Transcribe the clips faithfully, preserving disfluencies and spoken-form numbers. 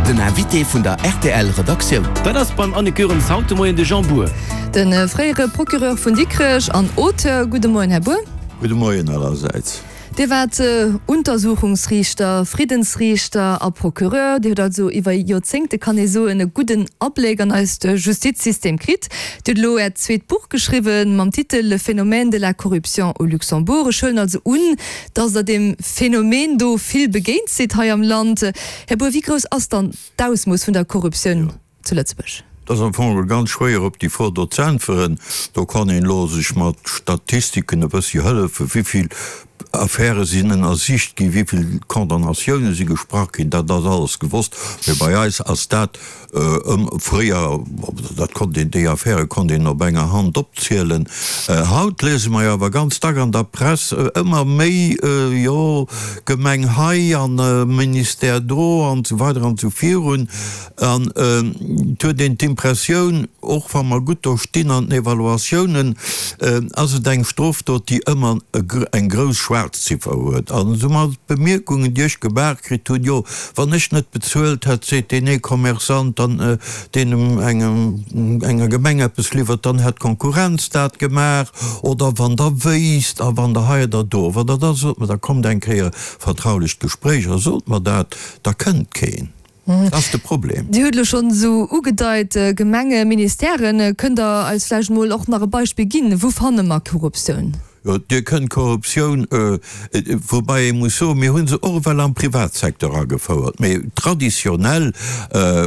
Den Invité vun der R T L Redaktioun. Dat ass beim Anne Goerens haut de Moien de Jean Bour. De fréiere Procureur vun Dikrech an Auteur. Gudde Moien, Här Bour. Gudde Moien allersäits. Dir waart Untersuchungsriichter, Friddensriichter a Procureur. Dir hutt also iwwer Joerzéngte, kann ee soen, e gudden Abléck an eist Justizsystem kritt. Dir hutt elo Äert zweet Buch geschriwwen mam Titel Le phénomène de la corruption au Luxembourg. Ech huelen also un, dass Der deem Phänomen do vill begéint sidd hei am Land. Här Bour, wéi grouss ass dann d'Ausmooss vun der Korruptioun zu Lëtzebuerg? Et ass am Fong ganz schwéier op déi Fro do ze äntweren. Do kann een elo sech mat Statistiken e bëssi hëllefen, wéi vill Affäre sinn ënnersicht ginn, wéi vill Condamnatioune si gesprach ginn, dat ass alles gewosst. Mee bei eis ass dat ëm fréier, dat konnt een, déi Affäre konnt een op enger Hand opzielen. Haut liese mer jo awer ganz dack an der Press ëmmer méi, jo, Gemeng hei an Ministère do an esou weider an esou virun. An et huet een d'Impressioun, och wa mer gutt do stinn an den Evaluatiounen, ass et eng Strofdot, déi ëmmer eng grouss schwaarz Ziffer huet. An esou d'Bemierkungen, déi ech gemaach kritt hunn, jo, wann ech net bezuelt hätt, seet deen ee Commerçant, dann deen engem enger Gemeng eppes liwwert, dann hätt d'Konkurrenz dat gemaach. Oder wann Der wéisst a wann Der hei oder do, wann Der da sot mer, da kommt eng Kéier vertraulecht Gespréich a sot mer dat, da kënnt keen. Dat ass de Problem. Dir hutt elo schonn esou ugedeit, Gemenge, Ministèren. Kënnt Der eis vläicht emol och nach e Beispill ginn, wou fanne mer Korruptioun? Jo, Dir kënnt Korruptioun, woubäi ee muss soen, mir hu se och ewell am Privatsecteur agefouert, mee traditionell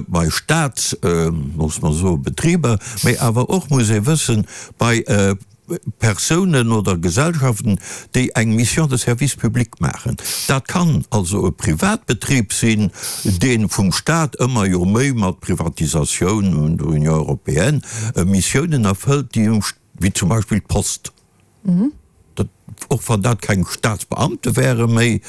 bei Staats, loosse mer soen, Betriber, mee awer och, muss ee wëssen, bei Persounen oder Gesellschaften, déi eng Mission de service public maachen. Dat kann also e Privatbetrib sinn, dee vum Staat ëmmer jo méi mat Privatisatioun un der Union européenne Missiounen erfëllt, déi um, wéi zum Beispill d'Post. Dat, och wann dat keng Staatsbeamte wäre méi,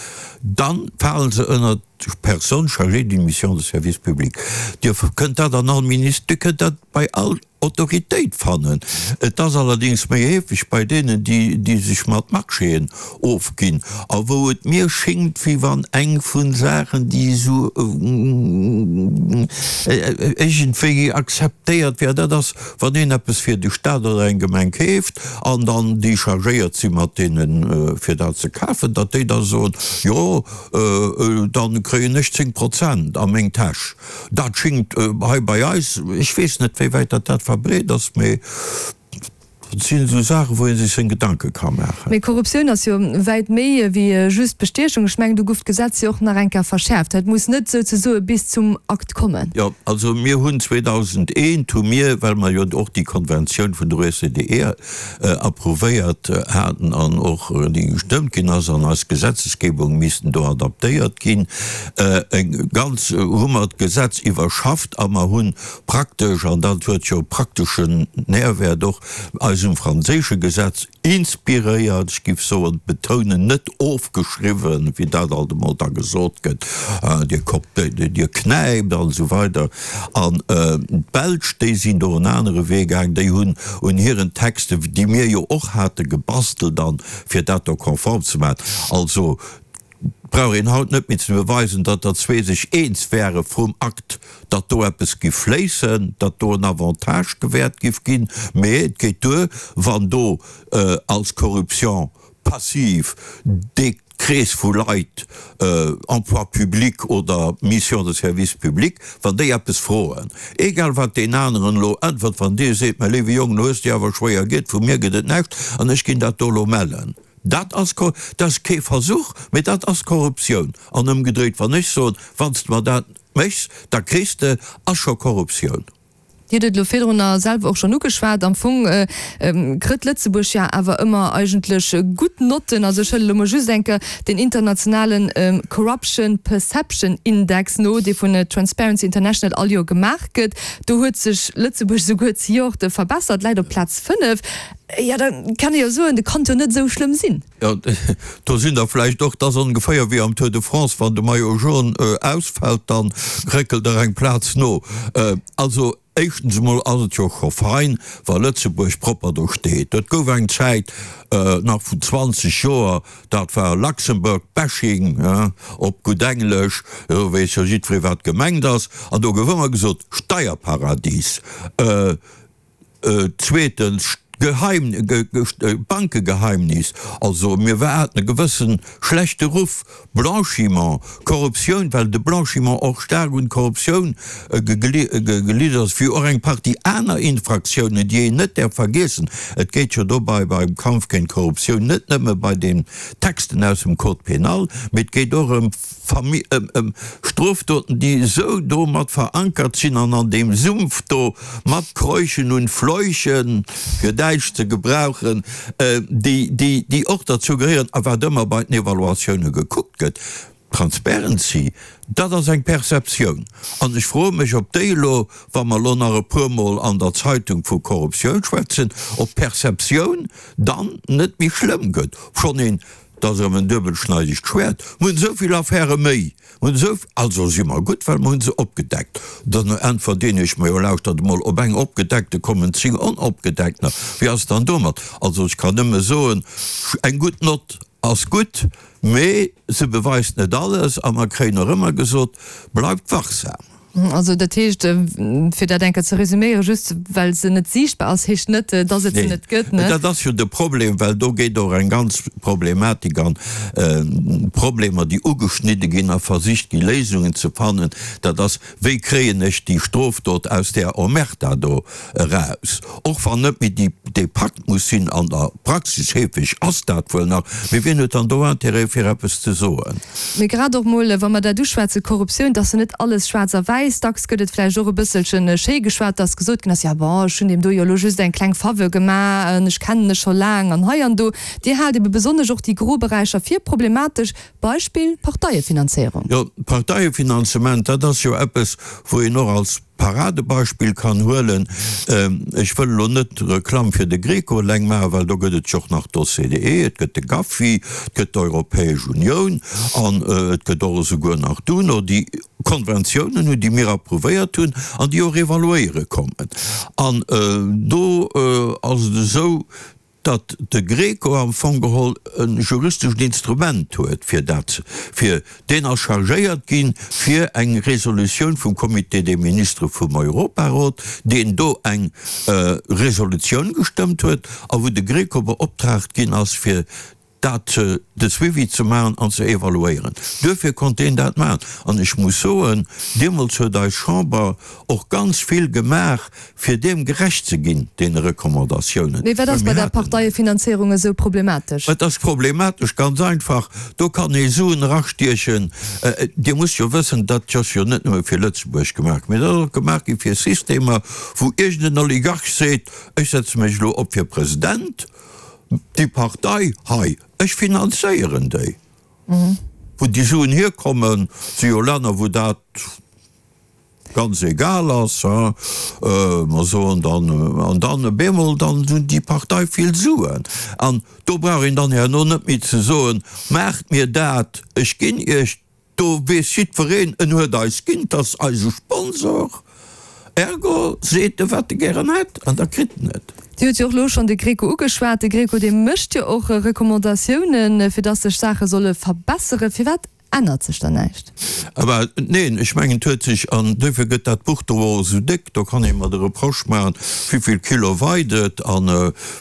dann fale se ënner d'Personnes chargées d'une mission de service public. Dir kënnt dat an all Ministère, Dir kënnt dat bei all Autoritéit fannen. Et ass allerdéngs méi heefeg bei deenen, déi, déi sech mat Marchéen ofginn a wou et mir schéngt, wéi wann eng vun Saachen, déi esou iergendwéi akzeptéiert wär, dat ass, wann een eppes fir de Staat oder eng Gemeng keeft an dann déi chargéiert si mat deenen, fir dat ze kafen, datt déi da soen, jo, dann kréien ech zéng Prozent a meng Täsch. Dat schéngt hei bei eis, ech weess net, wéi wäit datt dat verbreet ass, mee dat sinn esou Saachen, wou ee sech seng Gedanke ka maachen. Mee Korruptioun ass jo wäit méi wéi just Bestiechung. Ech mengen, do gouf d'Gesetz jo och nach eng Kéier verschäerft. Et muss net souzesoe bis zum Akt kommen. Jo, also mir hunn zweedausendeent hu mir, well mer jo och déi Konventioun vun der O C D E approuvéiert haten an och déi gestëmmt ginn ass an eis Gesetzesgebung missten do adaptéiert ginn, eng ganz hu mer d'Gesetz iwwerschafft a mer hunn praktesch, an dat huet jo prakteschen Nährwert och, eis um franséische Gesetz inspiréiert, ech giff soen, betounen, net ofgeschriwwen, wéi dat alt emol da gesot gëtt, Dir dir knäipt an esou weider. An d'Belsch, déi sinn do en anere Wee gaang, déi hunn un hiren Texte, déi mir jo och hate gebastelt an, fir dat do konform ze maachen, also brauch een haut net méi ze beweisen, datt der zwee sech eens wäre vrum Akt, datt do eppes giff fléissen, datt do en Avantage gewäert giff ginn, mee et geet duer, wann do als Corruption passive dee Krees vu Leit, Emploi public oder Mission de service public, wann déi eppes froen, egal wat deen aneren elo äntwert, wann dee seet, Mä léiwe Jong, lo hues de awer schwéier gitt, vu mir gëtt et näischt an ech ginn dat do elo mellen. Dat ass, dat ass kee Versuch, mee dat ass Korruptioun. An ëmgedréit, wann ech soen, wann s de mer dat méchs, da kriss de, ass scho Korruptioun. Dir hutt et elo virdrunner selwer och schonn ugeschwat, am Fong kritt Lëtzebuerg ja awer ëmmer eigentlech gutt Notten. Also ech huelen elo mol just eng Kéier den internationalen Corruption Perception Index no, dee vun Transparency International all Joer gemaach gëtt. Do huet sech Lëtzebuerg souguer zejoert verbessert, läit op Plaz fënnef. Jo, da kann ee jo soen, dat kann jo net esou schlëmm sinn. Jo, do sinn der vläicht och, 't ass ongeféier wéi am Tour de France, wann de Maillot jaune ausfält, dann réckelt der eng Plaz no. Also Éischtens emol ass et jo scho fein, wa Lëtzebuerg propper do steet. Et gouf eng Zäit, nach vun zwanzeg Joer, dat war Luxembourg bashing, op gutt Englesch, do weess jo jiddweree wat gemengt ass, an do gouf ëmmer gesot, Steierparadies. Zweetens, Geheim, Bankegeheimnis, also mir haten e gewësse schlechte Ruff, Blanchiment, Korruptioun, well de Blanchiment och staark un d'Korruptioun geliiert ass, wéi och eng Partie aner Infraktiounen, déi een net däerf vergiessen. Et geet jo dobei beim Kampf géint d'Korruptioun net nëmme bei den Texten aus dem Code pénal, mee et geet och ëm ëm Strofdoten, déi esou do mat verankert sinn an an deem Sumpf do mat kräuchen und fleuchen, fir Däitsch ze gebrauchen, déi, déi, déi och derzou gehéieren a wat ëmmer bei den Evaluatioune gekuckt gëtt. Transparency, dat ass eng Perceptioun. An ech froe mech, ob déi elo, wa mer elo nach e puermol an der Zeitung vu Korruptioun schwätzen, ob d'Perceptioun dann net méi schlëmm gëtt. Obschonn een, dat ass erëm en duebelschneidegt Schwäert, mer hunn esou vill Affäre méi, mer hunn esou, also si mer gutt, well mer hu se opgedeckt. Dann äntwert deen Iech, Ma jo, lauschtert emol, op eng opgedeckte kommen zéng onopgedeckter. Wéi ass et dann domat? Also ech kann nëmme soen, eng gutt Nott ass gutt, mee se beweist net alles a mer kréien och ëmmer gesot, Bleift wachsam. Also dat heescht, fir dat eng Kéier ze resüméieren, just well se net siichtbar ass, heescht net, dass et se net gëtt, ne? Dat ass jo de Problem, well do geet och eng ganz Problematik an, Problemer, déi ugeschnidde ginn a versicht gi Léisungen ze fannen, dat ass, Wéi kréien ech déi Strofdot aus där Omerta do eraus? Och wann net méi déi, dee Pakt muss sinn, an der Praxis heefeg ass dat wuel nach, mee wien huet dann do Intérêt fir eppes ze soen? Mee grad och mol, wa mer dat uschwätzen, Korruptioun, dass se net alles schwaarz a wäiss, dacks gëtt et vläicht och e bësselchen schéi geschwat, dass gesot ginn ass, jo bon, ech hunn deem do jo elo just eng kleng Faveur gemaach, ech kennen e scho laang an hei an do. Dir haalt ebe besonnesch och déi gro Beräicher fir problematesch. Beispill, Parteiefinanzéierung. Jo, d'Parteiefinanzement, dat ass jo eppes, wou een och als Paradebeispill kann huelen. Ech wëll elo net Reklamm fir de GRECO eleng maachen, well do gëtt et jo och nach d'OCDE, et gëtt de GAFI, et gëtt d'Europäesch Unioun an et gëtt och esouguer nach d'UNO, déi Konventiounen hunn, déi mir approuvéiert hunn an déi och evaluéiere kommen. An do ass et esou, datt de GRECO am Fong geholl e juristeschen Instrument huet fir dat, fir, deen ass chargéiert ginn, fir eng Resolutioun vum Comité des ministres vum Europarot, deen do eng Resolutioun gestëmmt huet a wou de GRECO beoptraagt ginn ass, fir dat, de Suivi ze maachen an ze evaluéieren. Duerfir konnt deen dat maachen. An ech muss soen, deemools huet eis Chamber och ganz vill gemaach, fir deem gerecht ze ginn, deene Recommandatiounen. Mee wat ass bei der Parteiefinanzéierung esou problematesch? Et ass problematesch ganz einfach, do kann ee Suen erastiechen. Dir musst jo wëssen, dat ass jo net nëmme fir Lëtzebuerg gemaach, mee dat ass och gemaach gi fir Systemer, wou iergend en Oligarch seet, ech setze mech elo op fir President, Déi Partei hei, ech finanzéieren déi. Wou déi Suen hierkommen, si jo Länner, wou dat ganz egal ass, hein. Mer soen dann, an dann op eemol, dann hunn déi Partei vill Suen. An do brauch een dann herno net méi ze soen, maacht mir dat, ech ginn Iech. Do weess jiddwereen, en huet eis ginn, 't ass eise Sponsor, ergo seet e wat e gären hätt an da kritt en et. Dir hutt jo och elo schonn de Greco ugeschwat. De Greco, dee mécht jo och Recommandatiounen, fir dass sech Saache solle verbesseren. Firwat ännert sech dann näischt? Awer neen, ech mengen, et huet sech, an duerfir gëtt dat Buch do och esou déck, do kann ee mer de Reproche maachen, wéivill Kilo weit et a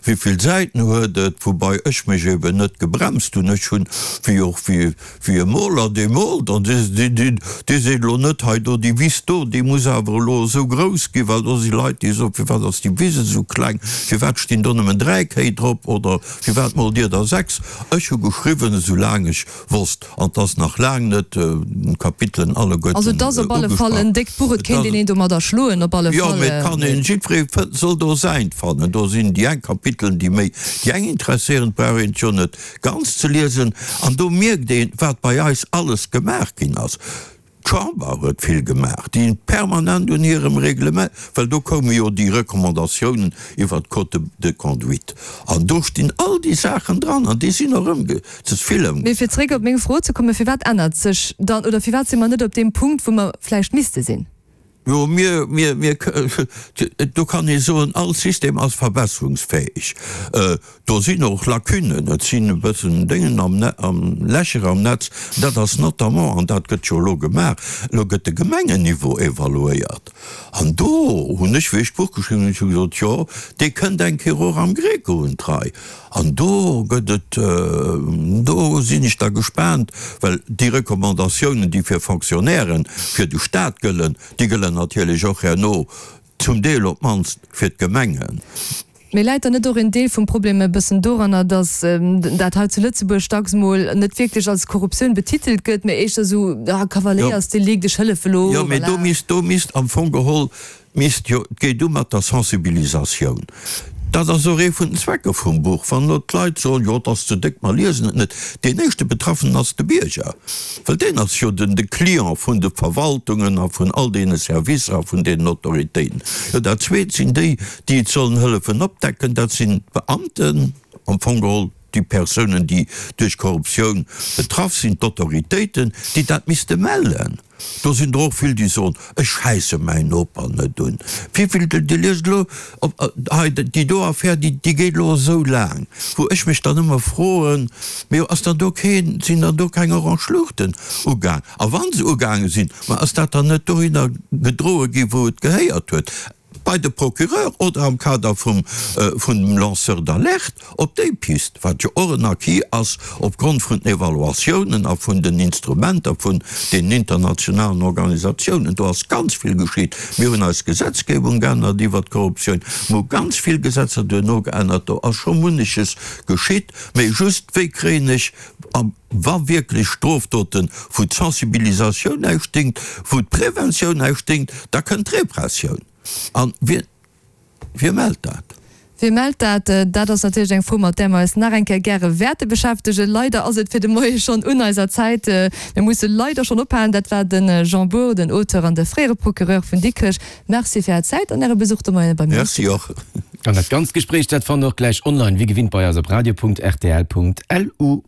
wéivill Säiten huet et, woubai ech mech eben net gebremst hunn. Ech hunn, wéi och wéi Wéi e Moler, dee moolt an dee seet elo net, hei do, déi Wiss do, déi muss awer elo esou grouss ginn, well do si Leit, déi soen, firwat ass déi Wiss esou kleng, firwat stinn do nëmmen dräi Kéi drop oder firwat moolt Dir der sechs? Ech hu geschriwwen, esou laang ech wosst, an 't ass nach laang net d'Kapitelen alleguerten Also et ass op alle Fall en déckt Buch, et kéint een een domadder schloen, op alle Jo, Fall. mee et kann een, jiddweree fënnt, soll do säint fannen. Do sinn déi eng Kapitelen, déi méi déi eng interesséieren, et brauch een et jo net ganz ze liesen, an do mierkt een, wat bei eis alles gemaach ginn ass. D'Chamber huet vill gemaach, déi hunn permanent un hirem Reglement, well do koume jo déi Recommandatiounen iwwert d'Code de conduite, an do stinn all déi Saachen dran, an déi sinn och ëmge, ze vill ëmgesat. Mee fir zréck op meng Fro ze kommen, Firwat ännert sech dann, oder firwat si mer net op deem Punkt, wou mer vläicht misste sinn? Jo, mir, mir, mir, do kann ee soen, all System ass verbesserungsfäeg. Do sinn och Lacunen, et sinn e bëssen Déngen am, am Lächer am Netz. Dat ass notamment, an dat gëtt jo elo gemaach, elo gëtt de Gemengenniveau evaluéiert. An do hunn ech, wéi ech d'Buch geschriwwen hunn, ech hu gesot, jo, dee kënnt eng Kéier och am Greco un d'Rei. An do gëtt et, do sinn ech da gespaant, well déi Recommandatiounen, déi fir Fonctionnairen, fir de Stat gëllen, déi gëllen natierlech och herno zum Deel op d'mannst fir d'Gemengen. Mee läit dann net och en Deel vum Problem e bëssen doranner, datt dat hei zu Lëtzebuerg dacks mol net wierklech als Korruptioun betitelt gëtt, mee éischter esou, ah, Kavaléiersdelikt, ech hëllefe lo, Jo, mee do voilà. misst, do misst am Fong geholl, misst jo, et geet u mat der Sensibilisatioun. Dat ass och ee vun den Zwecker vum Buch. Wann elo d'Leit soen, jo, et ass ze déck, mer liesen et net, deen éischte Betraffenen ass de Bierger, well deen ass jo den de Client vun de Verwaltungen a vun all deene Servicer a vun deenen Autoritéiten. Jo, dat Zweet sinn déi, déi et sollen hëllefen opdecken, dat sinn d'Beamten, am Fong geholl déi Persounen, déi duerch Korruptioun betraff sinn, d'Autoritéiten, déi dat misste mellen. Do sinn der och vill, déi soen, Ech schäisse mäin Noper net un. Wéivill, Dir liest elo op hei, déi do Affär, déi, déi geet elo esou laang, wou ech mech dann ëmmer froen, Mee ass dann do keen, sinn dann do keng orange Luuchten ugaang? A wa se ugaange sinn, ma ass dat dann net dohinner gedroe gi wou et gehéiert huet? Bei de Procureur oder am Kader vum vun dem Lanceur d'alerte op déi Pist, wat jo och en Acquis ass opgrond vun den Evaluatiounen a vun den Instrumenter vun deenen internationalen Organisatiounen. Do ass ganz vill geschitt. Mir hunn eis Gesetzgebung geännert iwwert d'Korruptioun. Mir hu ganz vill Gesetzer duerno geännert. Do ass scho munneches geschitt. Mee just, wéi kréien ech am Wa wierklech Strofdoten, wou d'Sensibilisatioun näischt déngt, wou d'Preventioun näischt déngt, da kënnt d'Repressioun. A wie, wie mellt dat? Wie mellt dat? Dat ass natierlech eng Fro, mat där mer eis nach eng Kéier gäre wäerte beschäftegen. Leider ass et fir de Moie schonn un eiser Zäit. Mir musse leider schonn ophalen. Dat war de Jean Bour, den Auteur an de fréiere Procureur vun Dikrech. Merci fir Är Zäit an Äre Besuch de Moien bei mir am Merci Studio. och. An dat ganzt Gespréich, dat fannt der och gläich online, wéi gewinnt bei eis op radio.rtl.lu.